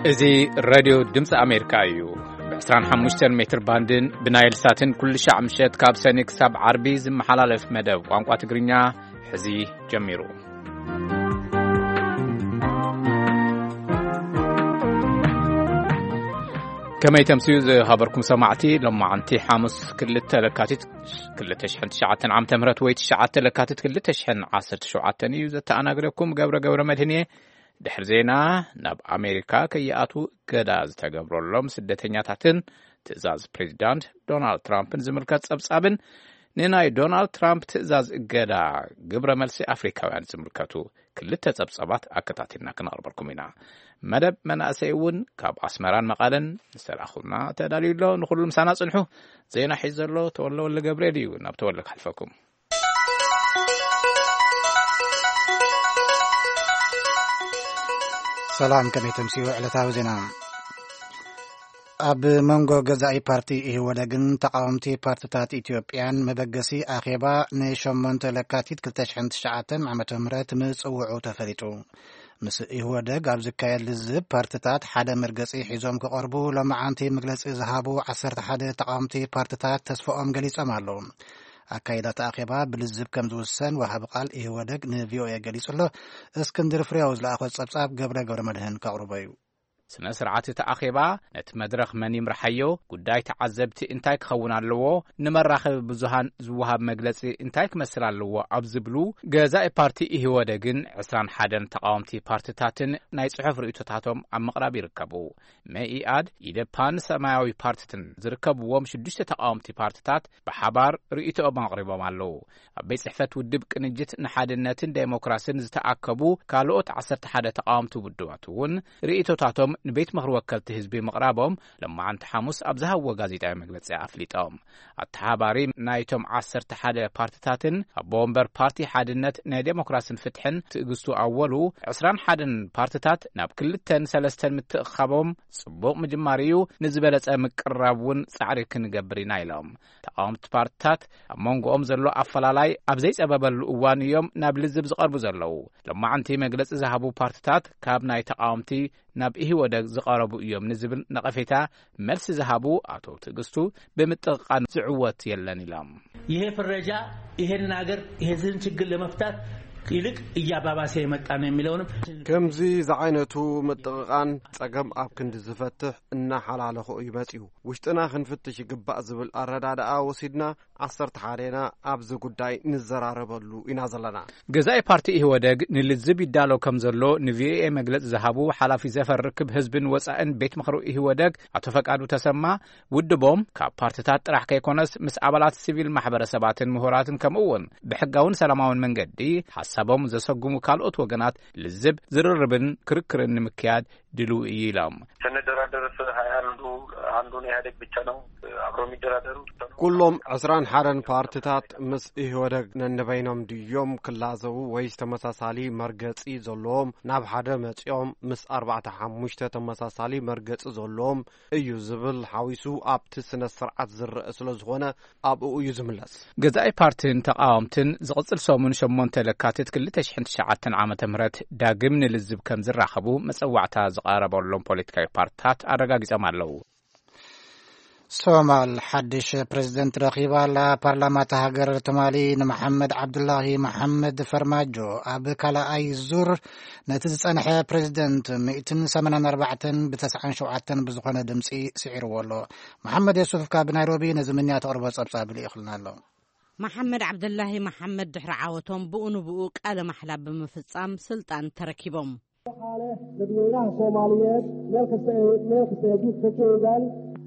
እዚ ሬድዮ ድምፂ ኣሜሪካ እዩ። ብ25 ሜትር ባንድን ብናይል ሳትን ኩሉ ሻዕ ምሸት ካብ ሰኒ ክሳብ ዓርቢ ዝመሓላለፍ መደብ ቋንቋ ትግርኛ ሕዚ ጀሚሩ። ከመይ ተምስዩ ዝሃበርኩም ሰማዕቲ፣ ሎማዓንቲ ሓሙስ ክልተ ለካቲት ክልተ ሽሕን ትሽዓተን ዓመተ ምህረት ወይ ትሽዓተ ለካቲት ክልተ ሽሕን ዓሰርተ ሸውዓተን እዩ። ዘተኣናግደኩም ገብረ ገብረ መድህን እየ። ድሕሪ ዜና፣ ናብ ኣሜሪካ ከይኣትዉ እገዳ ዝተገብረሎም ስደተኛታትን ትእዛዝ ፕሬዚዳንት ዶናልድ ትራምፕን ዝምልከት ጸብጻብን ንናይ ዶናልድ ትራምፕ ትእዛዝ እገዳ ግብረ መልሲ ኣፍሪካውያን ዝምልከቱ ክልተ ጸብጻባት ኣከታቲልና ክነቕርበልኩም ኢና። መደብ መናእሰይ እውን ካብ ኣስመራን መቐለን ዝተላእኹልና ተዳልዩ ኣሎ። ንኹሉ ምሳና ጽንሑ። ዜና ሒዙ ዘሎ ተወለ ወልደ ገብርኤል እዩ። ናብ ተወለ ክሓልፈኩም። ሰላም፣ ከመይ ተምስዩ? ዕለታዊ ዜና። ኣብ መንጎ ገዛኢ ፓርቲ ኢህወደግን ተቃወምቲ ፓርትታት ኢትዮጵያን መበገሲ ኣኼባ ንሸሞንተ ለካቲት ክልተ ሽሕን ትሽዓተን ዓመተ ምህረት ምጽውዑ ተፈሊጡ። ምስ ኢህወደግ ኣብ ዝካየድ ልዝብ ፓርትታት ሓደ መርገጺ ሒዞም ክቐርቡ ሎማዓንቲ መግለጺ ዝሃቡ ዓሰርተ ሓደ ተቃወምቲ ፓርትታት ተስፋኦም ገሊጾም ኣለዉ። ኣካይዳ እቲ ኣኼባ ብልዝብ ከም ዝውሰን ወሃቢ ቃል ኢህወደግ ንቪኦኤ ገሊጹ ኣሎ። እስክንድር ፍሬው ዝለኣኾ ጸብጻብ ገብረ ገብረ መድህን ከቕርቦ እዩ። ስነ ስርዓት እቲ ኣኼባ ነቲ መድረኽ መን ይምርሓዮ፣ ጉዳይ ተዓዘብቲ እንታይ ክኸውን ኣለዎ፣ ንመራኸቢ ብዙሃን ዝወሃብ መግለጺ እንታይ ክመስል ኣለዎ ኣብ ዝብሉ ገዛኢ ፓርቲ ኢህወደግን ዕስራን ሓደን ተቃወምቲ ፓርትታትን ናይ ጽሑፍ ርእይቶታቶም ኣብ ምቕራብ ይርከቡ። መኢኣድ፣ ኢደፓን ሰማያዊ ፓርትትን ዝርከብዎም ሽዱሽተ ተቃወምቲ ፓርትታት ብሓባር ርእይቶኦም ኣቕሪቦም ኣለዉ። ኣብ ቤት ጽሕፈት ውድብ ቅንጅት ንሓድነትን ዴሞክራስን ዝተኣከቡ ካልኦት ዓሰርተ ሓደ ተቃወምቲ ውድባት እውን ርእይቶታቶም ንቤት ምኽሪ ወከልቲ ህዝቢ ምቕራቦም ሎማዓንቲ ሓሙስ ኣብ ዝሃብዎ ጋዜጣዊ መግለጺ ኣፍሊጦም። ኣተሓባሪ ናይቶም ዓሰርተ ሓደ ፓርትታትን ኣቦ ወንበር ፓርቲ ሓድነት ናይ ዴሞክራስን ፍትሕን ትዕግስቱ ኣወሉ፣ ዕስራን ሓደን ፓርትታት ናብ ክልተን ሰለስተን ምትእኻቦም ጽቡቕ ምጅማር እዩ፣ ንዝበለጸ ምቅርራብ እውን ጻዕሪ ክንገብር ኢና ኢሎም። ተቃወምቲ ፓርትታት ኣብ መንጎኦም ዘሎ ኣፈላላይ ኣብ ዘይጸበበሉ እዋን እዮም ናብ ልዝብ ዝቐርቡ ዘለዉ። ሎማዓንቲ መግለጺ ዝሃቡ ፓርትታት ካብ ናይ ተቃወምቲ ናብ ኢህወደግ ዝቐረቡ እዮም ንዝብል ነቐፌታ መልሲ ዝሃቡ ኣቶ ትዕግስቱ፣ ብምጥቕቓን ዝዕወት የለን ኢሎም። ይሄ ፍረጃ ይሄንን ሀገር ይሄንን ችግር ለመፍታት ይልቅ እያባባሰ የመጣ ነው የሚለውንም ከምዚ ዝዓይነቱ ምጥቕቓን ጸገም ኣብ ክንዲ ዝፈትሕ እናሓላለኾ እዩ መጺኡ። ውሽጥና ክንፍትሽ ይግባእ ዝብል ኣረዳድኣ ወሲድና ዓሰርተ ሓደና ኣብዚ ጉዳይ ንዘራረበሉ ኢና ዘለና። ገዛኢ ፓርቲ ኢህወደግ ንልዝብ ይዳሎ ከም ዘሎ ንቪኦኤ መግለጺ ዝሃቡ ሓላፊ ዘፈር ርክብ ህዝብን ወጻእን ቤት ምኽሪ ኢህወደግ ኣቶ ፈቃዱ ተሰማ፣ ውድቦም ካብ ፓርትታት ጥራሕ ከይኮነስ ምስ ኣባላት ሲቪል ማሕበረሰባትን ምሁራትን ከምኡ እውን ብሕጋውን ሰላማውን መንገዲ ሓሳቦም ዘሰጉሙ ካልኦት ወገናት ልዝብ፣ ዝርርብን ክርክርን ንምክያድ ድልው እዩ ኢሎም። ስንደራደርስ ሃያ አንዱ አንዱን ኢህአዴግ ብቻ ነው አብሮ የሚደራደሩ። ኩሎም ዕስራን ሓደን ፓርትታት ምስ ኢህወደግ ነንበይኖም ድዮም ክላዘቡ ወይስ ተመሳሳሊ መርገጺ ዘለዎም ናብ ሓደ መጺኦም ምስ ኣርባዕተ ሓሙሽተ ተመሳሳሊ መርገጺ ዘለዎም እዩ ዝብል ሓዊሱ ኣብቲ ስነ ስርዓት ዝረአ ስለ ዝኾነ ኣብኡ እዩ ዝምለስ። ገዛኢ ፓርትን ተቃወምትን ዝቕጽል ሰሙን ሸሞንተ ለካቲት ክልተ ሽሕን ትሽዓተን ዓመተ ምህረት ዳግም ንልዝብ ከም ዝራኸቡ መጸዋዕታ ዝቐረበሎም ፖለቲካዊ ፓርትታት ኣረጋጊጾም ኣለዉ። ሶማል ሓድሽ ፕሬዝደንት ረኺባ ኣላ። ፓርላማ እታ ሃገር ትማሊ ንመሓመድ ዓብዱላሂ መሓመድ ፈርማጆ ኣብ ካልኣይ ዙር ነቲ ዝጸንሐ ፕሬዝደንት ሚእትን ሰማንያን ኣርባዕተን ብተስዓን ሸውዓተን ብዝኾነ ድምጺ ስዒርዎ ኣሎ። መሓመድ የሱፍ ካብ ናይሮቢ ነዚ ምንያ ተቕርቦ ጸብጻብ ልኢኽልና ኣሎ። መሓመድ ዓብደላሂ መሓመድ ድሕሪ ዓወቶም ብኡ ንብኡ ቃለ ማሕላ ብምፍጻም ስልጣን ተረኪቦም። Dadweynaha Soomaaliyeed meel kasta ay meel kasta ay adduunka ka joogaan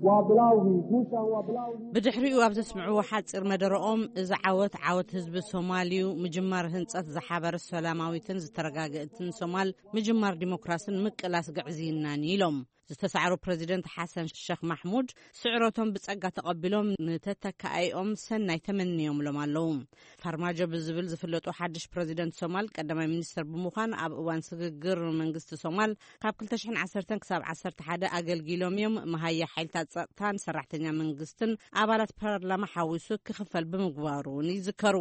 waa bilowgii guushan waa bilowgii ብድሕሪኡ ኣብ ዘስምዕዎ ሓጺር መደረኦም፣ እዚ ዓወት ዓወት ህዝቢ ሶማል እዩ፣ ምጅማር ህንጸት ዝሓበረ ሰላማዊትን ዝተረጋገእትን ሶማል፣ ምጅማር ዲሞክራስን ምቅላስ ግዕዝይናን እዩ ኢሎም። ዝተሳዕሩ ፕረዚደንት ሓሰን ሸኽ ማሕሙድ ስዕረቶም ብጸጋ ተቐቢሎም ንተተካኣይኦም ሰናይ ተመንዮምሎም ኣለዉ። ፋርማጆ ብዝብል ዝፍለጡ ሓድሽ ፕረዚደንት ሶማል ቀዳማይ ሚኒስትር ብምዃን ኣብ እዋን ስግግር መንግስቲ ሶማል ካብ ክልተ ሽሕን ዓሰርተን ክሳብ ዓሰርተ ሓደ ኣገልጊሎም እዮም። መሃያ ሓይልታት ጸጥታን ሰራሕተኛ መንግስትን ኣባላት ፓርላማ ሓዊሱ ክኽፈል ብምግባሩ እውን ይዝከሩ።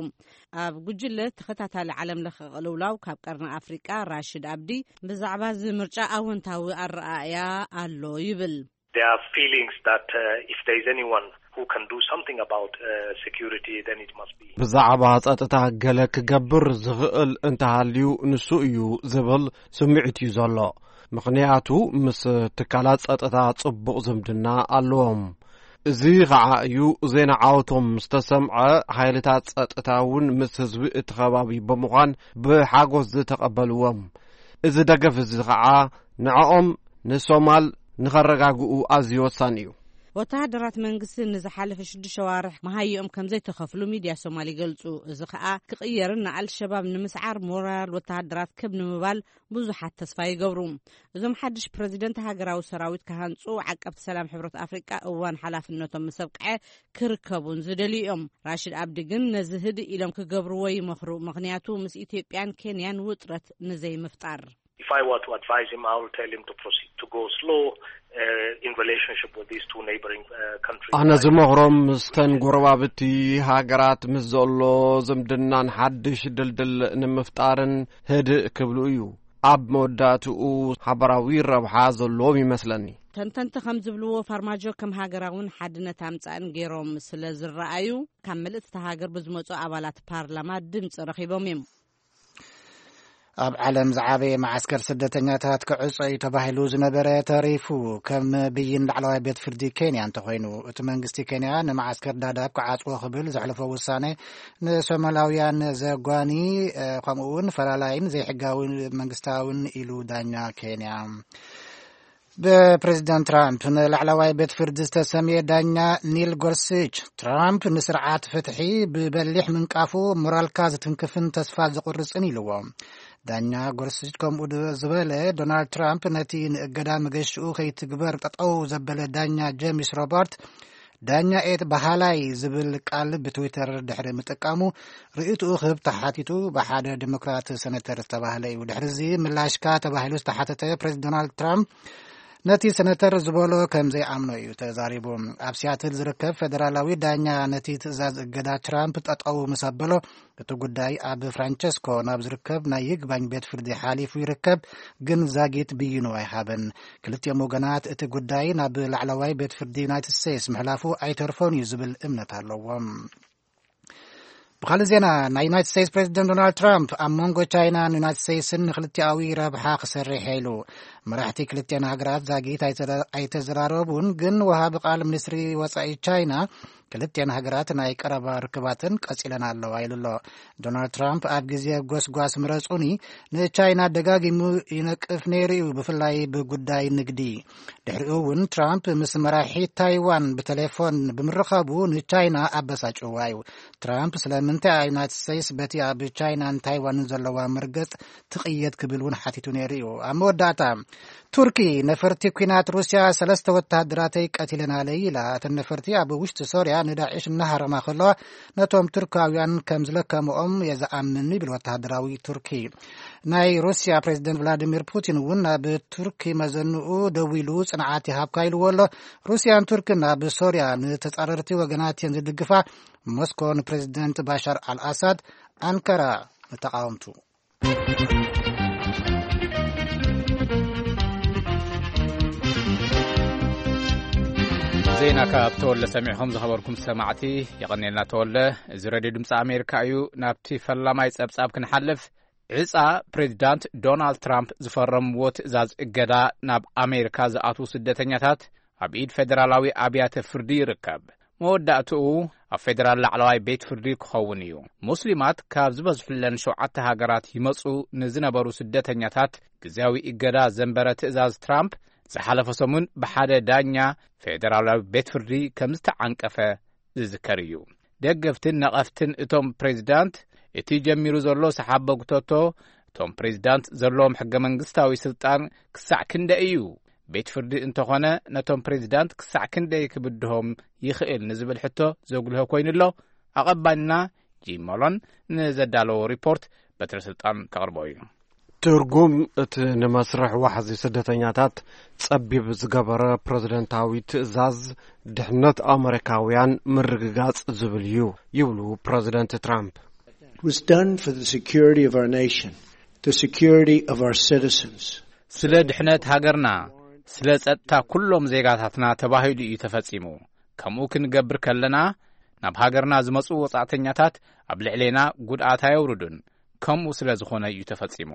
ኣብ ጉጅለ ተኸታታሊ ዓለም ለኸ ቅልውላው ካብ ቀርኒ ኣፍሪቃ ራሽድ ኣብዲ ብዛዕባ እዚ ምርጫ ኣወንታዊ ኣረኣእያ ኣሎ ይብል። There are feelings that uh, if there is anyone who can do something about uh, security, then it must be. ብዛዕባ ጸጥታ ገለ ክገብር ዝኽእል እንተሃልዩ ንሱ እዩ ዝብል ስምዒት እዩ ዘሎ። ምኽንያቱ ምስ ትካላት ጸጥታ ጽቡቕ ዝምድና ኣለዎም። እዚ ኸዓ እዩ ዜና ዓወቶም ዝተሰምዐ። ሓይልታት ጸጥታ እውን ምስ ህዝቢ እቲ ከባቢ ብምዃን ብሓጎስ ዝተቐበልዎም። እዚ ደገፍ እዚ ኸዓ ንዕኦም ንሶማል ንኸረጋግኡ ኣዝዩ ወሳኒ እዩ። ወተሃደራት መንግስቲ ንዝሓለፈ ሽዱሽተ ሸዋርሕ መሃይኦም ከም ዘይተኸፍሉ ሚድያ ሶማል ይገልጹ። እዚ ኸኣ ክቕየርን ንኣልሸባብ ንምስዓር ሞራል ወተሃደራት ከብ ንምባል ብዙሓት ተስፋ ይገብሩ። እዞም ሓድሽ ፕረዚደንት ሃገራዊ ሰራዊት ክሃንጹ ዓቀብቲ ሰላም ሕብረት ኣፍሪቃ እዋን ሓላፍነቶም ምስ ኣብቅዐ ክርከቡን ዝደልዩ እዮም። ራሽድ ኣብዲ ግን ነዚ ህድእ ኢሎም ክገብርዎ ይመኽሩ። ምኽንያቱ ምስ ኢትዮጵያን ኬንያን ውጥረት ንዘይምፍጣር። If I were to advise him, I would tell him to proceed to go slow uh, in relationship with these two neighboring uh, countries. ኣነ ዝመኽሮም ምስተን ጎረባብቲ ሃገራት ምስ ዘሎ ዝምድናን ሓድሽ ድልድል ንምፍጣርን ህድእ ክብሉ እዩ። ኣብ መወዳእትኡ ሓበራዊ ረብሓ ዘለዎም ይመስለኒ። ተንተንቲ ከም ዝብልዎ ፋርማጆ ከም ሃገራውን ሓድነት ኣምጻእን ገይሮም ስለ ዝረኣዩ ካብ ምልእቲ ሃገር ብዝመጹ ኣባላት ፓርላማ ድምጺ ረኺቦም እዮም። ኣብ ዓለም ዝዓበየ መዓስከር ስደተኛታት ክዕጾ እዩ ተባሂሉ ዝነበረ ተሪፉ። ከም ብይን ላዕለዋይ ቤት ፍርዲ ኬንያ እንተኾይኑ፣ እቲ መንግስቲ ኬንያ ንመዓስከር ዳዳብ ክዓጽዎ ክብል ዘሕለፎ ውሳነ ንሶማላውያን ዘጓኒ፣ ከምኡ እውን ፈላላይን ዘይሕጋዊ መንግስታውን ኢሉ ዳኛ ኬንያ። ብፕሬዚደንት ትራምፕ ንላዕለዋይ ቤት ፍርዲ ዝተሰምየ ዳኛ ኒል ጎርሲች፣ ትራምፕ ንስርዓት ፍትሒ ብበሊሕ ምንቃፉ ሞራልካ ዝትንክፍን ተስፋ ዝቑርጽን ኢልዎ። ዳኛ ጎርሲች ከምኡ ዝበለ፣ ዶናልድ ትራምፕ ነቲ ንእገዳ መገሽኡ ከይትግበር ጠጠው ዘበለ ዳኛ ጄሚስ ሮበርት፣ ዳኛ ኤት በሃላይ ዝብል ቃል ብትዊተር ድሕሪ ምጥቃሙ ርእይትኡ ክህብ ተሓቲቱ፣ ብሓደ ዲሞክራት ሰነተር ዝተባህለ እዩ። ድሕሪዚ ምላሽካ ተባሂሉ ዝተሓተተ ፕሬዚደንት ዶናልድ ትራምፕ፣ ነቲ ሰነተር ዝበሎ ከም ዘይኣምኖ እዩ ተዛሪቡ። ኣብ ሲያትል ዝርከብ ፌደራላዊ ዳኛ ነቲ ትእዛዝ እገዳ ትራምፕ ጠጠው ምስ ኣበሎ፣ እቲ ጉዳይ ኣብ ፍራንቸስኮ ናብ ዝርከብ ናይ ይግባኝ ቤት ፍርዲ ሓሊፉ ይርከብ፣ ግን ዛጊት ብይኑ ኣይሃበን። ክልቲኦም ወገናት እቲ ጉዳይ ናብ ላዕለዋይ ቤት ፍርዲ ዩናይትድ ስቴትስ ምሕላፉ ኣይተርፎን እዩ ዝብል እምነት ኣለዎም። ብኻልእ ዜና፣ ናይ ዩናይትድ ስቴትስ ፕሬዚደንት ዶናልድ ትራምፕ ኣብ መንጎ ቻይናን ዩናይትድ ስቴትስን ንክልቲኣዊ ረብሓ ክሰርሕ ኢሉ። መራሕቲ ክልቲኣን ሃገራት ዛጊት ኣይተዘራረቡን፣ ግን ወሃቢ ቃል ሚኒስትሪ ወጻኢ ቻይና ክልቲኣን ሃገራት ናይ ቀረባ ርክባትን ቀጺለን ኣለዋ ኢሉ ኣሎ። ዶናልድ ትራምፕ ኣብ ግዜ ጎስጓስ ምረጹኒ ንቻይና ደጋጊሙ ይነቅፍ ነይሩ እዩ፣ ብፍላይ ብጉዳይ ንግዲ። ድሕሪኡ እውን ትራምፕ ምስ መራሒ ታይዋን ብቴሌፎን ብምርኻቡ ንቻይና ኣበሳጭዋ እዩ። ትራምፕ ስለምንታይ ዩናይትድ ስቴትስ በቲ ኣብ ቻይናን ታይዋንን ዘለዋ መርገጽ ትቕየድ ክብል እውን ሓቲቱ ነይሩ እዩ። ኣብ መወዳእታ ቱርኪ ነፈርቲ ኲናት ሩስያ ሰለስተ ወተሃደራተይ ቀቲለናለይ ኢላ። እተን ነፈርቲ ኣብ ውሽጢ ሶርያ ንዳዕሽ እናሃረማ ከለዋ ነቶም ቱርካውያን ከም ዝለከምኦም የዝኣምን ይብል ወተሃደራዊ ቱርኪ። ናይ ሩስያ ፕሬዚደንት ቭላዲሚር ፑቲን እውን ናብ ቱርኪ መዘንኡ ደዊሉ ጽንዓት ይሃብካ ኢልዎ ኣሎ። ሩስያን ቱርክን ኣብ ሶርያ ንተጻረርቲ ወገናት እየን ዝድግፋ። ሞስኮ ንፕሬዚደንት ባሻር ኣልኣሳድ፣ ኣንካራ ንተቃወምቱ። ዜና ካብ ተወለ ሰሚዕኹም ዝኸበርኩም ሰማዕቲ የቐኔልና ተወለ። እዚ ሬድዮ ድምፂ ኣሜሪካ እዩ። ናብቲ ፈላማይ ጸብጻብ ክንሓልፍ፣ ዕጻ ፕሬዚዳንት ዶናልድ ትራምፕ ዝፈረምዎ ትእዛዝ እገዳ ናብ ኣሜሪካ ዝኣትዉ ስደተኛታት ኣብ ኢድ ፌደራላዊ ኣብያተ ፍርዲ ይርከብ። መወዳእትኡ ኣብ ፌደራል ላዕለዋይ ቤት ፍርዲ ክኸውን እዩ። ሙስሊማት ካብ ዝበዝሑለን ሸውዓተ ሃገራት ይመጹ ንዝነበሩ ስደተኛታት ግዜያዊ እገዳ ዘንበረ ትእዛዝ ትራምፕ ዝሓለፈ ሰሙን ብሓደ ዳኛ ፌደራላዊ ቤት ፍርዲ ከም ዝተዓንቀፈ ዝዝከር እዩ። ደገፍትን ነቐፍትን እቶም ፕሬዚዳንት፣ እቲ ጀሚሩ ዘሎ ሰሓቦ ጉተቶ፣ እቶም ፕሬዚዳንት ዘለዎም ሕገ መንግስታዊ ስልጣን ክሳዕ ክንደይ እዩ ቤት ፍርዲ እንተኾነ ነቶም ፕሬዚዳንት ክሳዕ ክንደይ ክብድሆም ይኽእል ንዝብል ሕቶ ዘጉልሆ ኮይኑ ኣሎ። ኣቐባልና ጂም ሞሎን ንዘዳለዎ ሪፖርት በትረ ስልጣን ከቕርቦ እዩ። ትርጉም እቲ ንመስርሕ ዋሕዚ ስደተኛታት ጸቢብ ዝገበረ ፕረዚደንታዊ ትእዛዝ ድሕነት ኣመሪካውያን ምርግጋጽ ዝብል እዩ ይብሉ ፕረዚደንት ትራምፕ። It was done for the security of our nation, the security of our citizens. ስለ ድሕነት ሃገርና፣ ስለ ጸጥታ ኩሎም ዜጋታትና ተባሂሉ እዩ ተፈጺሙ። ከምኡ ክንገብር ከለና ናብ ሃገርና ዝመጹ ወጻእተኛታት ኣብ ልዕሌና ጉድኣት ኣየውርዱን። ከምኡ ስለ ዝኾነ እዩ ተፈጺሙ።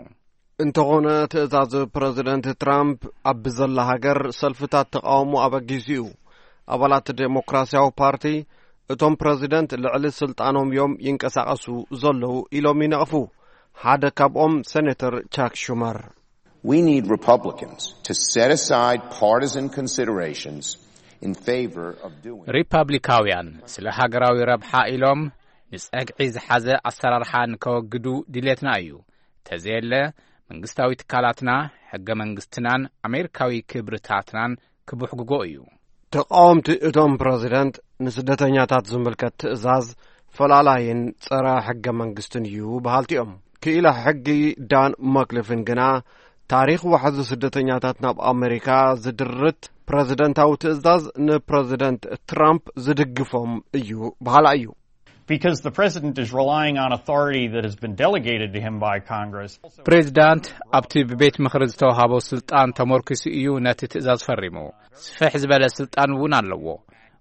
እንተኾነ ትእዛዝ ፕረዚደንት ትራምፕ ኣብ ብዘላ ሃገር ሰልፍታት ተቓውሞ ኣበጊሱ እዩ። ኣባላት ዴሞክራሲያዊ ፓርቲ እቶም ፕረዚደንት ልዕሊ ስልጣኖም እዮም ይንቀሳቐሱ ዘለዉ ኢሎም ይነቕፉ። ሓደ ካብኦም ሴኔተር ቻክ ሹመር። We need Republicans to set aside partisan considerations in favor of doing. ሪፓብሊካውያን ስለ ሃገራዊ ረብሓ ኢሎም ንጸግዒ ዝሓዘ ኣሰራርሓ ንከወግዱ ድሌትና እዩ። ተዘየለ መንግስታዊ ትካላትና፣ ሕገ መንግስትናን ኣሜሪካዊ ክብርታትናን ክብሕግጎ እዩ። ተቃወምቲ እቶም ፕረዚደንት ንስደተኛታት ዝምልከት ትእዛዝ ፈላላይን ጸረ ሕገ መንግስትን እዩ በሃልቲ እዮም። ክኢላ ሕጊ ዳን መክልፍን ግና ታሪኽ ዋሕዚ ስደተኛታት ናብ ኣሜሪካ ዝድርት ፕረዚደንታዊ ትእዛዝ ንፕረዚደንት ትራምፕ ዝድግፎም እዩ በሃላ እዩ። Because the president is relying on authority that has been delegated to him by Congress. ፕሬዚዳንት ኣብቲ ብቤት ምኽሪ ዝተዋሃቦ ስልጣን ተመርኪሱ እዩ ነቲ ትእዛዝ ፈሪሙ። ስፍሕ ዝበለ ስልጣን እውን ኣለዎ።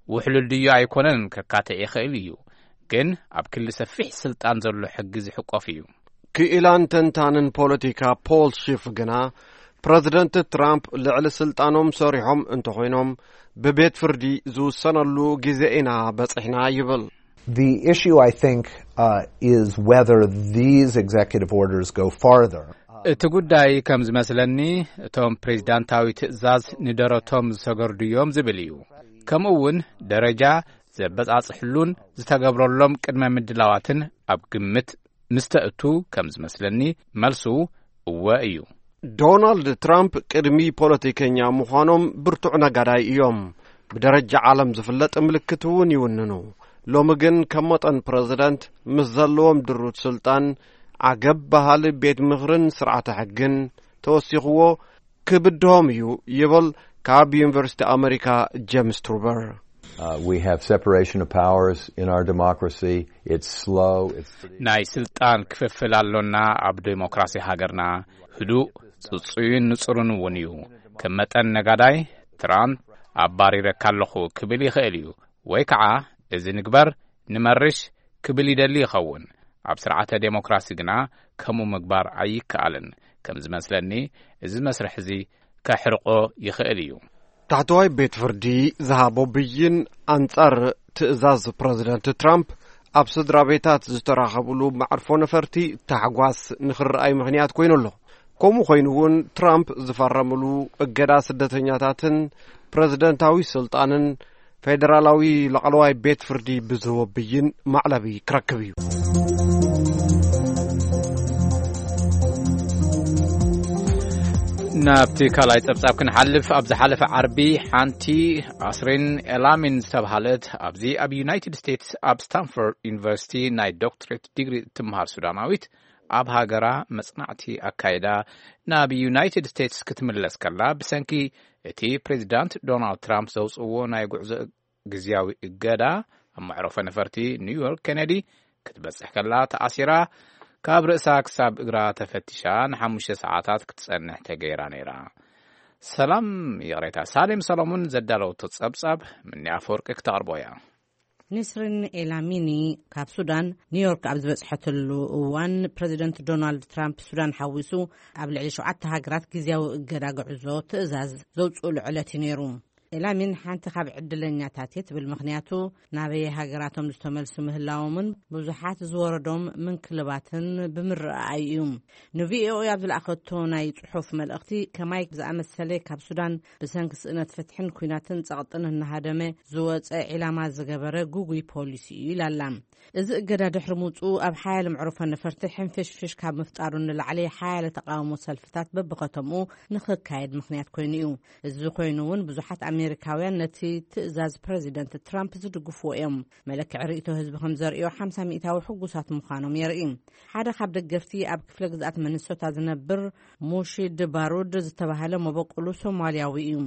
ውሕሉል ድዩ ኣይኮነን ከካትዕ ይኽእል እዩ፣ ግን ኣብ ክሊ ሰፊሕ ስልጣን ዘሎ ሕጊ ዝሕቆፍ እዩ። ክኢላን ተንታንን ፖለቲካ ፖል ሺፍ ግና ፕረዚደንት ትራምፕ ልዕሊ ስልጣኖም ሰሪሖም እንተኾይኖም ብቤት ፍርዲ ዝውሰነሉ ግዜ ኢና በጺሕና ይብል። The issue, I think, uh, is whether these executive orders go farther. እቲ ጉዳይ ከም ዝመስለኒ እቶም ፕሬዚዳንታዊ ትእዛዝ ንደረቶም ዝሰገርዱ እዮም ዝብል እዩ። ከምኡ እውን ደረጃ ዘበጻጽሕሉን ዝተገብረሎም ቅድመ ምድላዋትን ኣብ ግምት ምስ ተእቱ ከም ዝመስለኒ መልሱ እወ እዩ። ዶናልድ ትራምፕ ቅድሚ ፖለቲከኛ ምዃኖም ብርቱዕ ነጋዳይ እዮም። ብደረጃ ዓለም ዝፍለጥ ምልክት እውን ይውንኑ። ሎሚ ግን ከም መጠን ፕረዚደንት ምስ ዘለዎም ድሩት ስልጣን ዓገብ በሃሊ ቤት ምኽርን ስርዓተ ሕግን ተወሲኽዎ ክብድሆም እዩ ይብል ካብ ዩኒቨርሲቲ ኣመሪካ ጀምስ ትሩበር። Uh, we have separation of powers in our democracy. It's slow. It's ናይ ስልጣን ክፍፍል ኣሎና ኣብ ዴሞክራሲ ሃገርና። ህዱእ፣ ጽጹይን ንጹርን እውን እዩ። ከም መጠን ነጋዳይ ትራምፕ ኣባሪረካ ኣለኹ ክብል ይኽእል እዩ፣ ወይ ከዓ እዚ ንግበር ንመርሽ ክብል ይደሊ ይኸውን። ኣብ ስርዓተ ዴሞክራሲ ግና ከምኡ ምግባር ኣይከኣልን። ከም ዝመስለኒ እዚ መስርሕ እዚ ከሕርቆ ይኽእል እዩ። ታሕተዋይ ቤት ፍርዲ ዝሃቦ ብይን ኣንጻር ትእዛዝ ፕረዚደንት ትራምፕ ኣብ ስድራ ቤታት ዝተራኸብሉ መዕርፎ ነፈርቲ ታሕጓስ ንኽረኣይ ምኽንያት ኮይኑ ኣሎ። ከምኡ ኮይኑ እውን ትራምፕ ዝፈረምሉ እገዳ ስደተኛታትን ፕረዚደንታዊ ስልጣንን ፌደራላዊ ላዕለዋይ ቤት ፍርዲ ብዝህቦ ብይን ማዕለቢ ክረክብ እዩ። ናብቲ ካልኣይ ጸብጻብ ክንሓልፍ፣ ኣብ ዝሓለፈ ዓርቢ ሓንቲ ኣስሪን ኤላሚን ዝተብሃለት ኣብዚ ኣብ ዩናይትድ ስቴትስ ኣብ ስታንፎርድ ዩኒቨርሲቲ ናይ ዶክትሬት ዲግሪ እትምሃር ሱዳናዊት ኣብ ሃገራ መጽናዕቲ ኣካይዳ ናብ ዩናይትድ ስቴትስ ክትምለስ ከላ ብሰንኪ እቲ ፕሬዚዳንት ዶናልድ ትራምፕ ዘውጽእዎ ናይ ጉዕዞ ግዝያዊ እገዳ ኣብ መዕረፎ ነፈርቲ ኒውዮርክ ኬነዲ ክትበጽሕ ከላ ተኣሲራ ካብ ርእሳ ክሳብ እግራ ተፈቲሻ ንሓሙሽተ ሰዓታት ክትጸንሕ ተገይራ ነይራ። ሰላም ይቕሬታ፣ ሳሌም ሰሎሞን ዘዳለወቶ ጸብጻብ ምኒ ኣፈወርቂ ክተቕርቦ እያ። ኒስሪን ኤላሚኒ ካብ ሱዳን ኒውዮርክ ኣብ ዝበጽሐትሉ እዋን ፕረዚደንት ዶናልድ ትራምፕ ሱዳን ሓዊሱ ኣብ ልዕሊ ሸውዓተ ሃገራት ግዝያዊ እገዳ ጉዕዞ ትእዛዝ ዘውጽእሉ ዕለት እዩ ነይሩ። ኤላሚን ሓንቲ ካብ ዕድለኛታት እየ ትብል። ምኽንያቱ ናበየ ሃገራቶም ዝተመልሱ ምህላዎምን ብዙሓት ዝወረዶም ምንክልባትን ብምርኣይ እዩ። ንቪኦኤ ኣብ ዝለኣኸቶ ናይ ጽሑፍ መልእኽቲ፣ ከማይ ዝኣመሰለ ካብ ሱዳን ብሰንኪ ስእነት ፍትሕን ኲናትን ጸቕጥን እናሃደመ ዝወጸ ዒላማ ዝገበረ ጉጉይ ፖሊሲ እዩ ኢላላ። እዚ እገዳ ድሕሪ ምውጽኡ ኣብ ሓያለ መዕርፎ ነፈርቲ ሕንፍሽፍሽ ካብ ምፍጣሩ ንላዕሊ ሓያለ ተቃውሞ ሰልፍታት በብኸተምኡ ንኽካየድ ምኽንያት ኮይኑ እዩ። እዚ ኮይኑ እውን ብዙሓት ኣሜሪካውያን ነቲ ትእዛዝ ፕረዚደንት ትራምፕ ዝድግፍዎ እዮም። መለክዒ ርእይቶ ህዝቢ ከም ዘርእዮ ሓምሳ ሚእታዊ ሕጉሳት ምዃኖም የርኢ። ሓደ ካብ ደገፍቲ ኣብ ክፍለ ግዝኣት ሚኒሶታ ዝነብር ሙሺድ ባሩድ ዝተባህለ መበቆሉ ሶማልያዊ እዩ።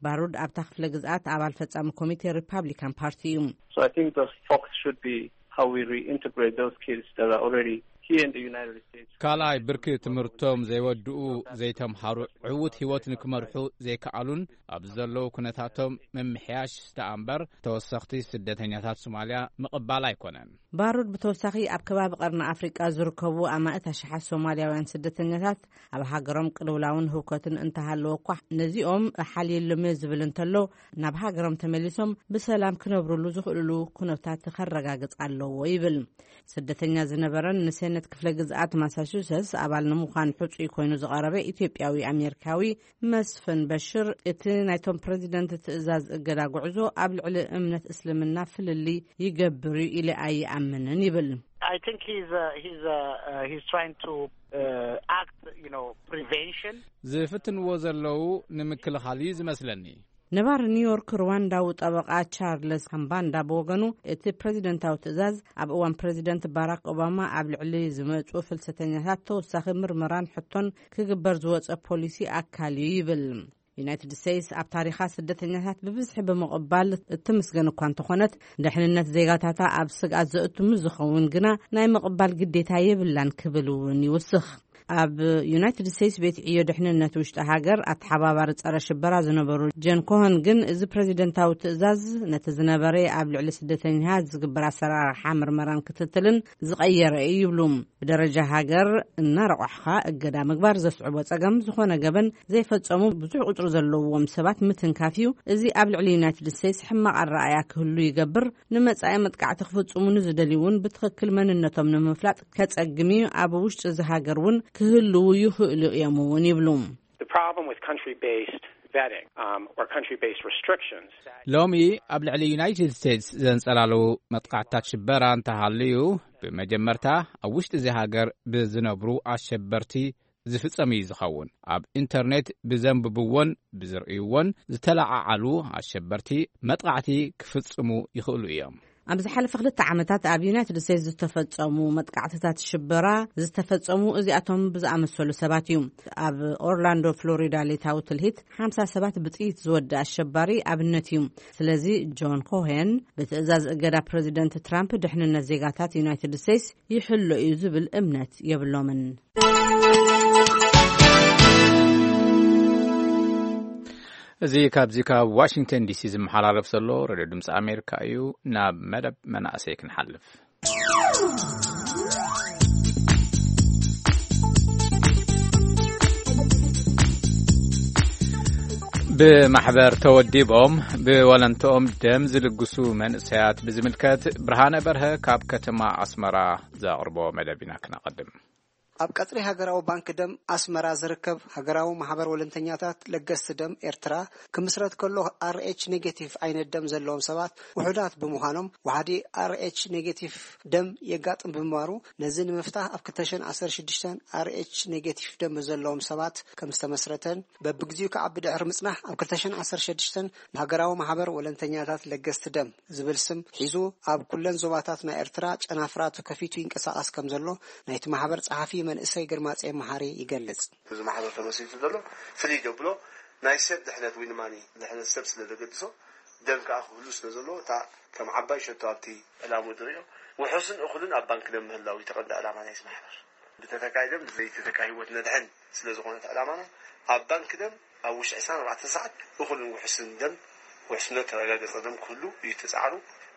ባሩድ ኣብታ ክፍለ ግዝኣት ኣባል ፈጻሚ ኮሚቴ ሪፓብሊካን ፓርቲ እዩ። So I think the focus should be how we reintegrate those kids that are already here in the United States. ካልኣይ፣ ብርኪ ትምህርቶም ዘይወድኡ፣ ዘይተምሃሩ፣ ዕዉት ህይወት ንክመርሑ ዘይከኣሉን ኣብዚ ዘለዉ ኩነታቶም ምምሕያሽ ደኣ እምበር ተወሰኽቲ ስደተኛታት ሶማልያ ምቕባል ኣይኮነን። ባሩድ ብተወሳኺ ኣብ ከባቢ ቀርኒ ኣፍሪቃ ዝርከቡ ኣማእት ኣሽሓት ሶማልያውያን ስደተኛታት ኣብ ሃገሮም ቅልውላውን ህውከትን እንተሃለወ እኳ ነዚኦም ሓልየሎም እየ ዝብል እንተሎ ናብ ሃገሮም ተመሊሶም ብሰላም ክነብርሉ ዝኽእልሉ ኩነታት ከረጋግጽ ኣለዎ ይብል። ስደተኛ ዝነበረን ንሴነት ክፍለ ግዝኣት ማሳቹሰትስ ኣባል ንምዃን ሕጹይ ኮይኑ ዝቐረበ ኢትዮጵያዊ ኣሜሪካዊ መስፍን በሽር፣ እቲ ናይቶም ፕረዚደንት ትእዛዝ እገዳ ጉዕዞ ኣብ ልዕሊ እምነት እስልምና ፍልልይ ይገብር እዩ ኢለ ኣይኣምንን ይብል። I think he's uh, he's uh, uh, he's trying to uh, act, you know, prevention. ዝፍትንዎ ዘለዉ ንምክልኻል እዩ ዝመስለኒ። ነባሪ ኒውዮርክ ሩዋንዳዊ ጠበቓ ቻርለስ ካምባንዳ ብወገኑ፣ እቲ ፕረዚደንታዊ ትእዛዝ ኣብ እዋን ፕረዚደንት ባራክ ኦባማ ኣብ ልዕሊ ዝመጹ ፍልሰተኛታት ተወሳኺ ምርመራን ሕቶን ክግበር ዝወጸ ፖሊሲ ኣካል እዩ ይብል። ዩናይትድ ስቴትስ ኣብ ታሪኻ ስደተኛታት ብብዝሒ ብምቕባል እትምስገን እኳ እንተኾነት፣ ደሕንነት ዜጋታታ ኣብ ስግኣት ዘእቱ ምስ ዝኸውን ግና ናይ ምቕባል ግዴታ የብላን ክብል እውን ይውስኽ። ኣብ ዩናይትድ ስቴትስ ቤት ዕዮ ድሕንነት ውሽጢ ሃገር ኣተሓባባሪ ጸረ ሽበራ ዝነበሩ ጀን ኮሆን ግን፣ እዚ ፕረዚደንታዊ ትእዛዝ ነቲ ዝነበረ ኣብ ልዕሊ ስደተኛታት ዝግበር ኣሰራርሓ ምርመራን ክትትልን ዝቐየረ እዩ ይብሉ። ብደረጃ ሃገር እናረቋሕኻ እገዳ ምግባር ዘስዕቦ ጸገም፣ ዝኾነ ገበን ዘይፈጸሙ ብዙሕ ቁጽሪ ዘለዎም ሰባት ምትንካፍ እዩ። እዚ ኣብ ልዕሊ ዩናይትድ ስቴትስ ሕማቕ ኣረኣእያ ክህሉ ይገብር። ንመጻኢ መጥቃዕቲ ክፍጽሙ ንዝደልዩ እውን ብትኽክል መንነቶም ንምፍላጥ ከጸግም እዩ። ኣብ ውሽጢ እዚ ሃገር እውን ክህልዉ ይኽእሉ እዮም እውን ይብሉ። The problem with country-based vetting um, or country-based restrictions. ሎሚ ኣብ ልዕሊ ዩናይትድ ስቴትስ ዘንጸላለዉ መጥቃዕትታት ሽበራ እንተሃልዩ፣ ብመጀመርታ ኣብ ውሽጢ እዚ ሃገር ብዝነብሩ ኣሸበርቲ ዝፍጸም እዩ ዝኸውን። ኣብ ኢንተርኔት ብዘንብብዎን ብዝርእይዎን ዝተለዓዓሉ ኣሸበርቲ መጥቃዕቲ ክፍጽሙ ይኽእሉ እዮም። ኣብ ዝሓለፈ ክልተ ዓመታት ኣብ ዩናይትድ ስቴትስ ዝተፈጸሙ መጥቃዕትታት ሽበራ ዝተፈጸሙ እዚኣቶም ብዝኣመሰሉ ሰባት እዩ። ኣብ ኦርላንዶ ፍሎሪዳ ሌታዊ ትልሂት ሓምሳ ሰባት ብጥይት ዝወደ ኣሸባሪ ኣብነት እዩ። ስለዚ ጆን ኮሄን ብትእዛዝ እገዳ ፕረዚደንት ትራምፕ ድሕንነት ዜጋታት ዩናይትድ ስቴትስ ይሕሎ እዩ ዝብል እምነት የብሎምን። እዚ ካብዚ ካብ ዋሽንግተን ዲሲ ዝመሓላለፍ ዘሎ ሬድዮ ድምፂ ኣሜሪካ እዩ። ናብ መደብ መናእሰይ ክንሓልፍ። ብማሕበር ተወዲቦም ብወለንትኦም ደም ዝልግሱ መንእሰያት ብዝምልከት ብርሃነ በርሀ ካብ ከተማ ኣስመራ ዘቕርቦ መደብ ኢና ክነቐድም። ኣብ ቀጽሪ ሃገራዊ ባንክ ደም ኣስመራ ዝርከብ ሃገራዊ ማሕበር ወለንተኛታት ለገስቲ ደም ኤርትራ ክምስረት ከሎ፣ ኣር ኤች ኔጌቲቭ ዓይነት ደም ዘለዎም ሰባት ውሑዳት ብምዃኖም፣ ዋሕዲ ኣር ኤች ኔጌቲቭ ደም የጋጥም ብምንባሩ፣ ነዚ ንምፍታሕ ኣብ ክልተ ሽሕን ዓሰርተ ሽዱሽተን ኣር ኤች ኔጌቲቭ ደም ዘለዎም ሰባት ከም ዝተመስረተን፣ በብግዚኡ ከዓ ብድሕሪ ምጽናሕ ኣብ ክልተ ሽሕን ዓሰርተ ሽዱሽተን ንሃገራዊ ማሕበር ወለንተኛታት ለገስቲ ደም ዝብል ስም ሒዙ ኣብ ኩለን ዞባታት ናይ ኤርትራ ጨናፍራ ተከፊቱ ይንቀሳቐስ ከም ዘሎ ናይቲ ማሕበር ጸሓፊ መንእሰይ ግርማጼ መሓሪ ይገልጽ። እዚ ማሕበር ተመስሪቱ ዘሎ ፍልይ ዘብሎ ናይ ሰብ ድሕነት ወይ ንማኒ ድሕነት ሰብ ስለ ዘገድሶ፣ ደም ከዓ ክህሉ ስለ ዘለዎ፣ እታ ከም ዓባይ ሸቶ ኣብቲ ዕላምኡ ዝርእዮ ውሑስን እኹልን ኣብ ባንክ ደም ምህላው እዩ እቲ ቀንዲ ዕላማ ናይዚ ማሕበር። ብተተካኢ ደም ዘይተተካ ህይወት ነድሕን ስለ ዝኾነት ዕላማና፣ ኣብ ባንክ ደም ኣብ ውሽጢ ዕስራን ኣርባዕተን ሰዓት እኹልን ውሑስን ደም፣ ውሕስነት ተረጋገጸ ደም ክህሉ እዩ እቲ ጻዕሩ።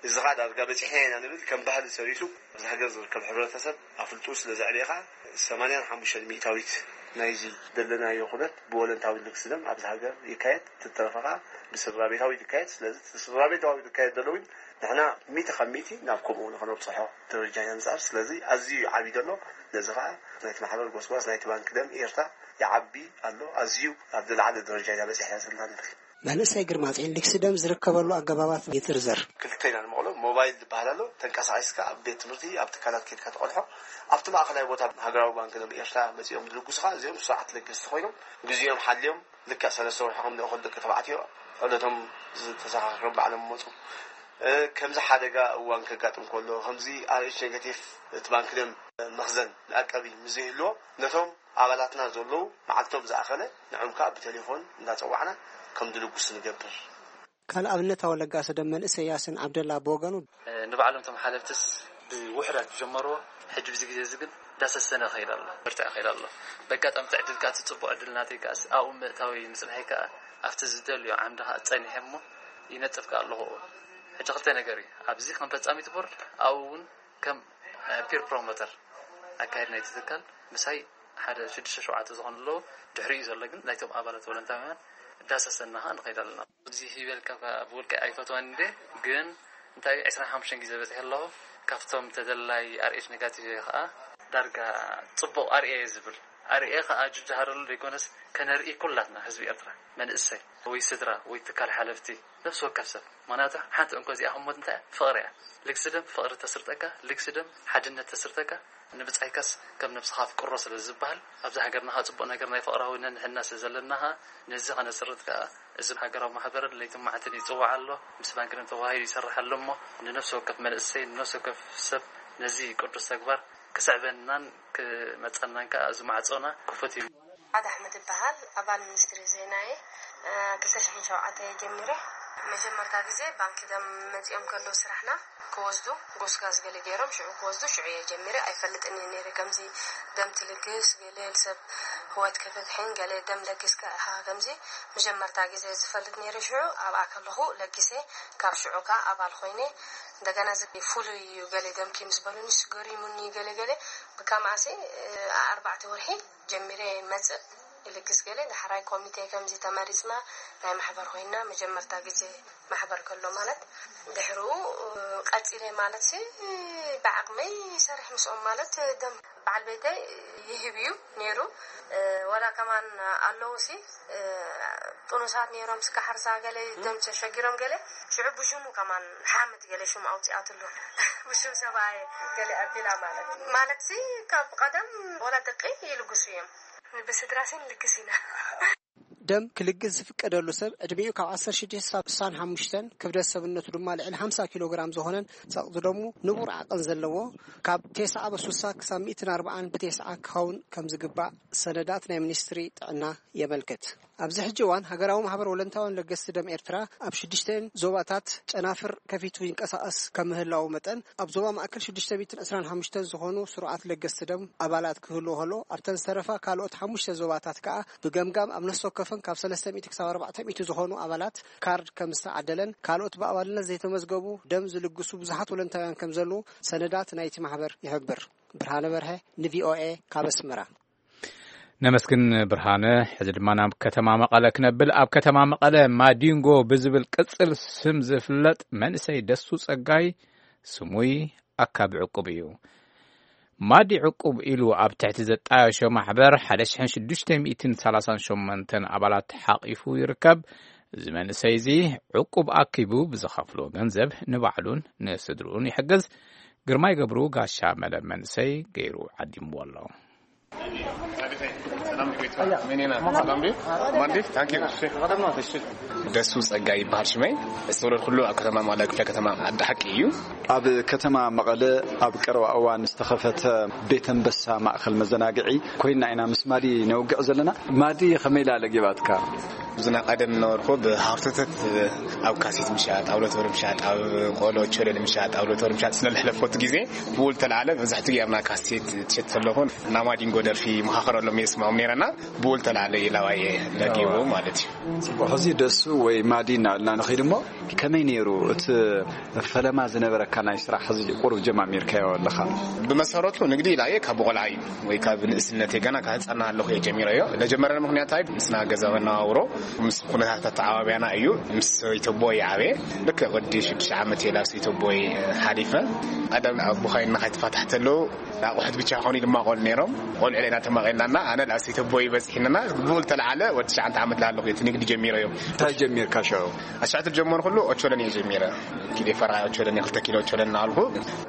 እዚ ኸኣ ዳርጋ በጺሕና ኢና ንብል ከም ባህሊ ሰሪቱ ኣብዚ ሃገር ዝርከብ ሕብረተሰብ ኣፍልጥኡ ስለ ዘዕበየ ኸኣ ሰማንያን ሓሙሽተን ሚእታዊት ናይዚ ዘለናዮ ኩነት ብወለንታዊ ልግሲ ደም ኣብዚ ሃገር ይካየድ፣ ትተረፈ ከዓ ብስድራ ቤታዊ ይካየድ። ስለዚ እቲ ስድራ ቤታዊ ዝካየድ ዘሎ እውን ንሕና ሚእቲ ካብ ሚእቲ ናብ ከምኡ ንኸነብፅሖ ደረጃ ኢና ንፅዕር። ስለዚ ኣዝዩ ዓብዩ ዘሎ ነዚ ከዓ ናይቲ ማሕበር ጎስጓስ ናይቲ ባንክ ደም ኤርትራ ይዓቢ ኣሎ። ኣዝዩ ኣብ ዝለዓለ ደረጃ ኢና በፂሕና ዘለና ንብል። መንእሰይ ግርማጽኤል ልግሲ ደም ዝርከበሉ ኣገባባት ይዝርዝር። ክልተ ኢና ንመቕሎ። ሞባይል ዝበሃል ኣሎ፣ ተንቀሳቒስካ ኣብ ቤት ትምህርቲ ኣብ ትካላት ከድካ ተቐልሖ። ኣብቲ ማእኸላይ ቦታ ሃገራዊ ባንክ ደም ኤርትራ መፂኦም ዝልግሱኻ እዚኦም ስርዓት ለገስቲ ኮይኖም ግዜኦም ሓልዮም ልክዕ ሰለስተ ወርሒ ከም ንእኹል ደቂ ተባዕትዮ ዕለቶም ዝተዘኻኸሮም ባዕሎም መፁ። ከምዚ ሓደጋ እዋን ከጋጥም ከሎ ከምዚ ኣርኤች ኔጋቲቭ እቲ ባንክ ደም መኽዘን መዕቀቢ ምዘይህልዎ ነቶም ኣባላትና ዘለዉ መዓልቶም ዝኣኸለ ንዕም ከዓ ብቴሌፎን እንዳፀዋዕና ከም ድልጉስ ንገብር። ካልእ ኣብነታዊ ለጋሲ ደም መንእሰይ ያሲን ዓብደላ ብወገኑ፣ ንባዕሎም እቶም ሓለፍትስ ብውሕዳት ዝጀመርዎ ሕጂ ብዚ ግዜ እዚ ግን እንዳሰሰነ ይኸይድ ኣሎ፣ ብርትዕ ይኸይድ ኣሎ። በጋጣሚ እቲ ዕድል ከዓ እቲ ፅቡቅ ዕድል ናተይ ከዓ ኣብኡ ምእታዊ ምፅንሐይ ከዓ ኣብቲ ዝደልዮ ዓምዲ ከዓ ፀኒሐ እሞ ይነጥፍ ከዓ ኣለኹ። ሕጂ ክልተ ነገር እዩ ኣብዚ ከም ፈፃሚት ቦርድ ኣብኡ እውን ከም ፒር ፕሮሞተር ኣካየድ ናይቲ ትካል ምሳይ ሓደ ሽዱሽተ ሸውዓተ ዝኾኑ ኣለዉ። ድሕሪኡ ዘሎ ግን ናይቶም ኣባላት ቮለንታውያን ዳሰሰና ኸዓ ንኸይድ ኣለና። እዚ ሂበልካ ብውልቀ ኣይፈትዋን እንደ ግን እንታይ ዕስራን ሓሙሽተን ግዜ በፂሐ ኣለኹ። ካብቶም ተደላይ ኣርኤች ኔጋቲቭ እየ ኸዓ ዳርጋ ፅቡቕ ኣርኤ እየ ዝብል ኣርኤ ኸዓ ጅጅሃረሉ ዘይኮነስ ከነርኢ ኩላትና ህዝቢ ኤርትራ መንእሰይ ወይ ስድራ ወይ ትካል ሓለፍቲ ነፍሲ ወከፍ ሰብ። ምክንያቱ ሓንቲ እንኮ እዚኣ ህሞት እንታይ እያ? ፍቕሪ እያ። ልግሲ ደም ፍቕሪ ተስርጠካ፣ ልግሲ ደም ሓድነት ተስርጠካ፣ ንብጻይካስ ከም ነብስኻ ኣፍቅሮ ስለ ዝበሃል ኣብዚ ሃገርና ኸዓ ጽቡቕ ነገር ናይ ፍቕራዊ ነንሕና ስለ ዘለና ኸዓ ነዚ ኸነስርጥ ከኣ እዚ ሃገራዊ ማሕበር ለይትን መዓልትን ይጽዋዕ ኣሎ። ምስ ባንክ ደም ተዋሂዱ ይሰርሕ ኣሎ እሞ ንነፍሲ ወከፍ መንእሰይ ንነፍሲ ወከፍ ሰብ ነዚ ቅዱስ ተግባር ክስዕበናን ክመጸናን ከኣ እዚ ማዕጾና ክፉት እዩ። ኣድ ኣሕመድ እበሃል፣ ኣባል ሚኒስትሪ ዜና እየ። ክልተ ሽሕን ሸውዓተ እየ ጀሚረ። መጀመርታ ግዜ ባንኪ ደም መጺኦም ከለዉ ስራሕና ክወስዱ ጎስጋስ ገለ ገይሮም ሽዑ ክወስዱ ሽዑ እየ ጀሚረ። ኣይፈልጥን እየ ነይረ ከምዚ ደም ትልግስ ገለ ሰብ ህይወት ከተድሕን ገለ ደም ለጊስካ ኢኻ ከምዚ መጀመርታ ግዜ ዝፈልጥ ነይረ። ሽዑ ኣብኣ ከለኹ ለጊሰ ካብ ሽዑ ከኣ ኣባል ኮይነ እንደገና እዚ ፍሉይ እዩ ገለ ደምኪ ምስ በሉኒ ስገሪሙኒ ገለ ገለ ብከምኣሲ ኣርባዕተ ወርሒ ጀሚረ ይመጽእ ይልግስ ገለ ዳሕራይ ኮሚቴ ከምዚ ተመሪጽና ናይ ማሕበር ኮይና መጀመርታ ግዜ ማሕበር ከሎ ማለት ድሕርኡ ቀጺለ ማለት ሲ ብዓቕመይ ይሰርሕ ምስኦም ማለት ደም በዓል ቤተይ ይህብ እዩ ነይሩ ወላ ከማን ኣለዉ ሲ ጥኑሳት ነይሮም ስካ ሓርሳ ገለ ደም ተሸጊሮም ገለ ሽዑ ብሽሙ ከማን ሓምድ ገለ ሽሙ ኣውፂኣትሉ ብሽም ሰብኣይ ገለ ኣቢላ ማለት ማለት ሲ ካብ ቀደም ወላ ደቂ ይልግሱ እዮም ብስድራ ሲ ንልግስ ኢና ደም ክልግስ ዝፍቀደሉ ሰብ ዕድሚኡ ካብ ዓሰርተ ሽዱሽተ ክሳብ ስሳን ሓሙሽተን ክብደት ሰብነቱ ድማ ልዕሊ ሓምሳ ኪሎ ግራም ዝኾነን ጸቕጢ ደሙ ንቡር ዓቐን ዘለዎ ካብ ቴስዓ በሱሳ ክሳብ ሚእትን ኣርባዓን ብቴስዓ ክኸውን ከም ዝግባእ ሰነዳት ናይ ሚኒስትሪ ጥዕና የመልክት። ኣብዚ ሕጂ እዋን ሃገራዊ ማሕበር ወለንታውያን ለገስቲ ደም ኤርትራ ኣብ ሽዱሽተን ዞባታት ጨናፍር ከፊቱ ይንቀሳቐስ ከም ምህላዉ መጠን ኣብ ዞባ ማእከል ሽዱሽተ ሚእትን ዕስራን ሓሙሽተን ዝኾኑ ስሩዓት ለገስቲ ደም ኣባላት ክህልዎ ከሎ ኣብተን ዝተረፋ ካልኦት ሓሙሽተ ዞባታት ከኣ ብገምጋም ኣብ ነፍሲ ወከፈን ካብ ሰለስተ ሚእቲ ክሳብ ኣርባዕተ ሚእቲ ዝኾኑ ኣባላት ካርድ ከም ዝተዓደለን ካልኦት ብኣባልነት ዘይተመዝገቡ ደም ዝልግሱ ብዙሓት ወለንታውያን ከም ዘለዉ ሰነዳት ናይቲ ማሕበር ይሕብር። ብርሃነ በርሀ ንቪኦኤ ካብ ኣስመራ። ነመስግን ብርሃነ። ሕዚ ድማ ናብ ከተማ መቐለ ክነብል። ኣብ ከተማ መቐለ ማዲንጎ ብዝብል ቅጽል ስም ዝፍለጥ መንእሰይ ደሱ ጸጋይ ስሙይ ኣካቢ ዕቁብ እዩ። ማዲ ዕቁብ ኢሉ ኣብ ትሕቲ ዘጣየሾ ማሕበር ሓደ ሽሕን ሽዱሽተ ሚእትን ሰላሳን ሸሞንተን ኣባላት ሓቒፉ ይርከብ። እዚ መንእሰይ እዚ ዕቁብ ኣኪቡ ብዝኸፍሎ ገንዘብ ንባዕሉን ንስድርኡን ይሕግዝ። ግርማይ ገብሩ ጋሻ መደብ መንእሰይ ገይሩ ዓዲምዎ ኣሎ። ደሱ ጸጋ ይበሃል ሽመይ። ዝተወለድኩሉ ኣብ ከተማ መቐለ ክፍለ ከተማ ዓዲ ሓቂ እዩ። ኣብ ከተማ መቐለ ኣብ ቀረባ እዋን ዝተኸፈተ ቤት ኣንበሳ ማእከል መዘናግዒ ኮይና ኢና ምስ ማዲ ነውግዕ ዘለና። ማዲ ከመይ ኢላ ለጊባትካ? ብዙና ቀደም ነበርኩ ብሃርቶተት ኣብ ካሴት ምሻጥ፣ ኣብ ሎተሪ ምሻጥ፣ ኣብ ቆሎ ቸለል ምሻጥ፣ ኣብ ሎተሪ ምሻጥ ስለ ዝሕለፈቱ ግዜ ብውል ተላዓለ። መብዛሕትኡ ግዜ ኣብና ካሴት ትሸጥ ዘለኹ ናማዲንጎ ደርፊ መኻኸረሎም የስምዖም ነይረና። ብውል ተላዓለ ኢላዋየ ለጊቡ ማለት እዩ። ጽቡቕ። ሕዚ ደሱ ወይ ማዲ እናበልና ንኸይድ እሞ፣ ከመይ ነይሩ እቲ ፈለማ ዝነበረካ ናይ ስራሕ? ሕዚ ቁሩብ ጀማሚርካዮ ኣለኻ። ብመሰረቱ ንግዲ ኢላየ ካብ ቆልዓ እዩ ወይ ካብ ንእስነተይ፣ ገና ካብ ህፃና ኣለኹ እየ ጀሚረዮ። ለጀመረኒ ምክንያት ኣይ ምስና ገዛ መነባብሮ ምስ ኩነታት ኣተዓባብያና እዩ። ምስ ሰበይተቦይ ዓበየ። ልክዕ ወዲ ሽዱሽተ ዓመት እየ ናብ ሰበይተቦይ ሓሊፈ። ቀደም ኣቦኻይ እናኻይ ተፋታሕ ተለዉ ኣቑሑት ብቻ ኾኑ ድማ ቆል ነይሮም። ቆልዑ ለና ተማቒልናና ኣነ ናብ ሰበይተቦይ በፂሕንና ብኡ ዝተለዓለ ወዲ ትሽዓተ ዓመት ላለኹ እቲ ንግዲ ጀሚረዮ። እንታይ ጀሚርካ ሽዑ? ኣስራሕቲ ዝጀመርኩሉ ኦቾለኒ እየ ጀሚረ። ኪዴ ፈራ ኦቾለኒ፣ ክልተ ኪሎ ኦቾለኒ እናበልኩ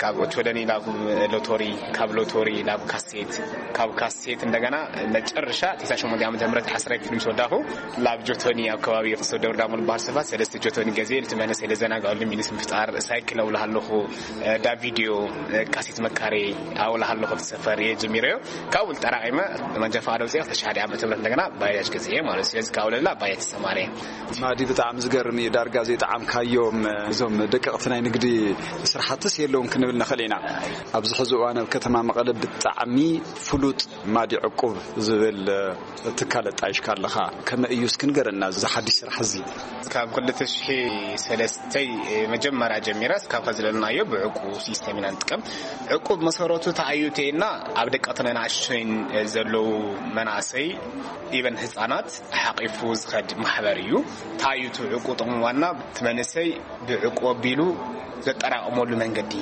ካብ ኦቾለኒ ናብ ሎቶሪ፣ ካብ ሎቶሪ ናብ ካሴት፣ ካብ ካሴት እንደገና መጨረሻ ተስዓን ሸሞንተን ዓመተ ምህረት ዓስራይ ክፍሊ ምስ ወዳኹ ናብ ጆቶኒ ኣብ ከባቢ ፍሶ ደብረ ዳሞ ዝበሃል ሰፈር ሰለስተ ጆቶኒ ገዜ ልቲ መንእሰይ ለዘናግዐሉ ሚኒስ ምፍጣር ሳይክል ኣውላ ኣለኹ። ዳ ቪድዮ ካሴት መካሬ ኣውላ ኣለኹ ሰፈር እየ ጀሚረዮ። ካብኡ ጠራቒመ መንጃ ፈቃድ ኣውፅኤ ክልተ ሽሕን ሓደን ዓመተ ምህረት እንደገና ባጃጅ ገዚኤ ማለት እዩ። ስለዚ ካብኡ ለላ ባጃጅ ተሰማርየ። ማዲ፣ ብጣዕሚ ዝገርም እዩ። ዳርጋ ዘይጠዓምካዮም እዞም ደቀቕቲ ናይ ንግዲ ስራሕትስ የለውን ክንብል ንኽእል ኢና። ኣብዚ ሕዚ እዋን ኣብ ከተማ መቐለ ብጣዕሚ ፍሉጥ ማዲ ዕቁብ ዝብል ትካል ኣጣይሽካ ኣለኻ። ከመይ እዩ እስኪ ንገረና እዚ ሓድሽ ስራሕ እዚ? ካብ ክልተ ሽሕ ሰለስተ መጀመርያ ጀሚረ እስካብ ከዚ ዘለናዮ ብዕቁብ ሲስተም ኢና ንጥቀም። ዕቁብ መሰረቱ ተኣዩ ተይና ኣብ ደቀቕትን ኣናእሽተይን ዘለዉ መናእሰይ ኢቨን ህፃናት ሓቂፉ ዝኸድ ማሕበር እዩ። ታዩቱ ዕቁብ ጥቕሙ ዋና እቲ መንእሰይ ብዕቁብ ኣቢሉ ዘጠራቕመሉ መንገዲ፣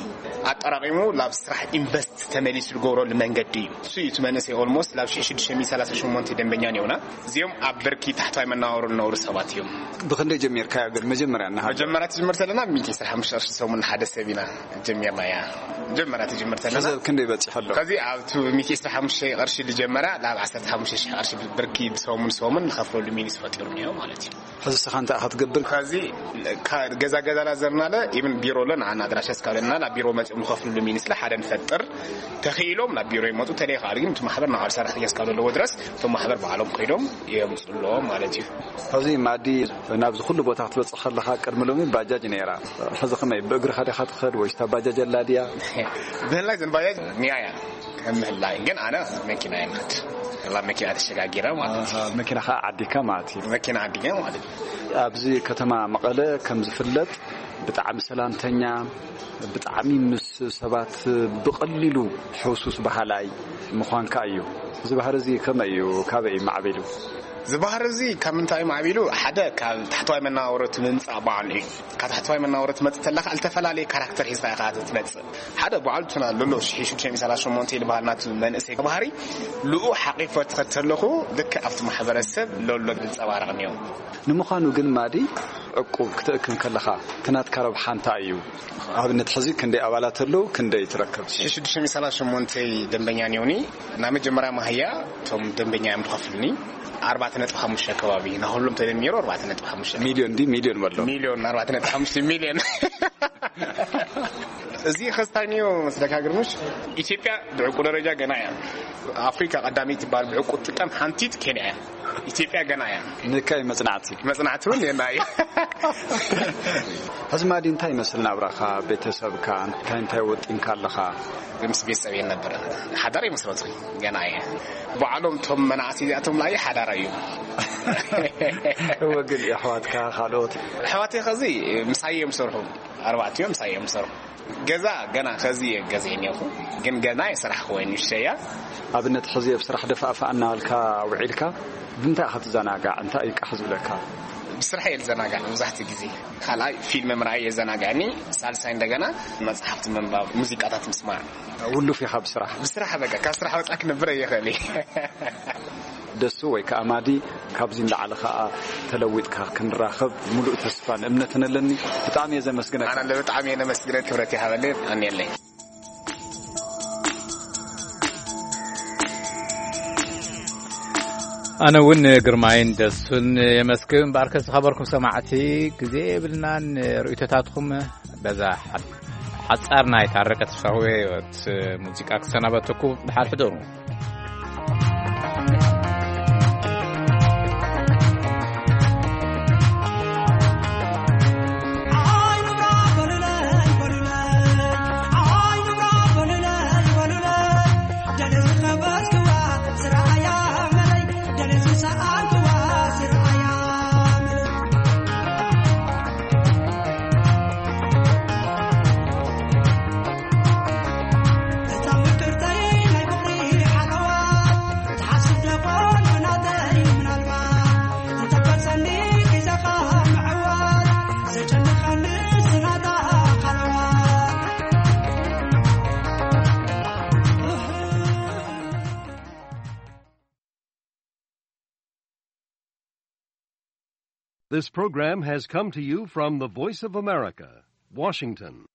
ኣጠራቒሙ ናብ ስራሕ ኢንቨስት ተመሊሱ ዝገብረሉ መንገዲ እዩ። እሱ እዩ እቲ መንእሰይ ኦልሞስት ናብ ሽሕ ሽዱሽተ ሚእቲ ሰላሳ ሸሞንተ ደንበኛ ነውና። እዚኦም ኣብ ብርኪ ታሕታይ መናወሩ ዝነብሩ ሰባት እዮም። ብኽንደይ ጀሚርካዮ ግን መጀመርያ እናሃለወ? መጀመርያ ትጅምር ዘለና ሚእቲ ዕስራን ሓሙሽተን ቅርሺ ሰሙን ሓደ ሰብ ኢና ጀሚርናያ። መጀመርያ ትጅምር ዘለና። ሕዚ ኣብ ክንደይ በፂሑ ኣሎ? ከዚ ኣብቱ ሚእቲ ዕስራን ሓሙሽተን ቅርሺ ዝጀመረ ናብ ዓሰርተ ሓሙሽተ ሽሕ ቅርሺ ብርኪ ሰሙን ሰሙን ንኸፍለሉ ሚኒስ ፈጢሩ እኒኦ ማለት እዩ። ሕዚ ስኻ እንታይ ኢኻ ትገብር? ከዚ ካ-፣ ገዛ ገዛ ላዘርናለ ኢብን ቢሮ ኣሎ ንዓና ኣድራሻ እስካለና ናብ ቢሮ መፂኦም ንኸፍልሉ ሚኒስ ሓደ ንፈጥር። ተኽኢሎም ናብ ቢሮ ይመፁ፣ ተለይኻል ግን እቲ ማሕበር ናብ ሰራሕተኛ እስካብ ዘለዎ ድረስ እቶም ማሕበር ባዕሎም ከይዶም የምፅሎ ማለት እዩ። ሕዚ ማዲ ናብዚ ኩሉ ቦታ ክትበፅሕ ከለኻ ቅድሚ ሎሚ ባጃጅ ነይራ። ሕዚ ከመይ ብእግርኻ ዲኻ ትኸድ ወይስ እታ ባጃጅ ኣላ ድያ? ብህላይ ዘን ባጃጅ ኒያ እያ ከም ምህላይ ግን ኣነ መኪና እየ ንኸድ። ላ መኪና ተሸጋጊረ ማለት እዩ። ኣሃ፣ መኪና ኸዓ ዓዲካ ማለት እዩ። መኪና ዓዲካ ማለት እዩ። ኣብዚ ከተማ መቐለ ከም ዝፍለጥ ብጣዕሚ ሰላምተኛ፣ ብጣዕሚ ምስ ሰባት ብቐሊሉ ሕውሱስ በሃላይ ምዃንካ እዩ። እዚ ባህሪ እዚ ከመይ እዩ? ካበይ እዩ ማዕቢሉ? እዚ ባህሪ እዚ ካብ ምንታይ እዩ ማዕቢሉ? ሓደ ካብ ታሕተዋይ መነባብሮ እቲ ምምፃእ በዓሉ እዩ። ካብ ታሕተዋይ መነባብሮ ትመፅእ ተለካ ዝተፈላለየ ካራክተር ሒዝካ ኢኻ ትመፅእ። ሓደ በዓሉ ቱና ሎሎ ሽሕ ሽዱሽተ ሚእቲ ሰላሳ ሸሞንተ ዝበሃል ናቱ መንእሰይ ባህሪ ልኡ ሓቂፎ ትኸድ ተለኹ ልክዕ ኣብቲ ማሕበረሰብ ሎሎ ዝንፀባረቕ እኒኦ። ንምዃኑ ግን ማዲ ዕቁብ ክትእክብ ከለኻ እቲ ናትካ ረብሓ እንታይ እዩ? ኣብነት ሕዚ ክንደይ ኣባላት ኣለዉ? ክንደይ ትረክብ? ሽሕ ሽዱሽተ ሚእቲ ሰላሳ ሸሞንተ ደንበኛ እኒኦኒ። ናይ መጀመርያ ማህያ እቶም ደንበኛ እዮም ዝኸፍሉኒ ኣርባዕተ ነጥቢ ሓሙሽተ ከባቢ፣ ናኹሎም ተደሚሩ ኣርባዕተ ነጥቢ ሓሙሽተ። ሚልዮን ድዩ? ሚልዮን በሎ። ሚልዮን፣ ኣርባዕተ ነጥቢ ሓሙሽተ ሚልዮን። እዚ ኸስታኒዮ መስለካ ግርምሽ፣ ኢትዮጵያ ብዕቁብ ደረጃ ገና እያ። ኣፍሪካ ቀዳመይቲ ትበሃል ብዕቁብ ትጥቀም ሓንቲት ኬንያ እያ። ኢትዮጵያ ገና እያ። ንካይ መጽናዕቲ። መጽናዕቲ እውን የና እዩ። ሕዚ ማዲ እንታይ ይመስል ናብራኻ? ቤተሰብካ እንታይ እንታይ ወጢንካ ኣለኻ? ምስ ቤተሰብ የነበረ ሓዳር ይመስረቱ ገና እየ። ባዕሎም እቶም መናእሰይ እዚኣቶም ላይ ሓዳር እዩ። እወ፣ ግን የሕዋትካ ካልኦት? ኣሕዋተይ ኸዚ ምሳይ እዮም ዝሰርሑ። ኣርባዕቲኦም ምሳይ እዮም ዝሰርሑ። ገዛ ገና ኸዚ እየ ገዚአ እኒኦኹ። ግን ገና የሰራሕክዎ ንእሽተይ እያ። ኣብነት ሕዚ ኣብ ስራሕ ደፋእፋእ እናበልካ ውዒልካ ብምንታይ ኢኻ ትዘናጋዕ? እንታይ እዩ ቃሕ ዝብለካ? ብስራሕ እየ ዝዘናጋዕ መብዛሕትኡ ግዜ። ካልኣይ ፊልም ምርኣይ የዘናግዐኒ። ሳልሳይ እንደገና መጽሓፍቲ ምንባብ፣ ሙዚቃታት ምስማዕ። ውሉፍ ኢኻ ብስራሕ? ብስራሕ በቃ ካብ ስራሕ ወጻእ ክነብር ኣይኽእል እየ። ደሱ ወይ ከዓ ማዲ ካብዚ ንላዕሊ ከዓ ተለዊጥካ ክንራኸብ ሙሉእ ተስፋን እምነትን ኣለኒ። ብጣዕሚ እየ ዘመስግነካ። ኣነ ብጣዕሚ እየ ነመስግነካ፣ ክብረት ይሃበለይ። ኣንየለይ። ኣነ እውን ግርማይን ደሱን የመስግን። እምበኣርከስ ዝኸበርኩም ሰማዕቲ፣ ግዜ የብልናን። ርእይቶታትኩም በዛ ሓጻር ናይ ታረቀ ተስፋ ህይወት ሙዚቃ ክሰናበተኩም። ደሓን ሕደሩ። This program has come to you from the Voice of America, Washington.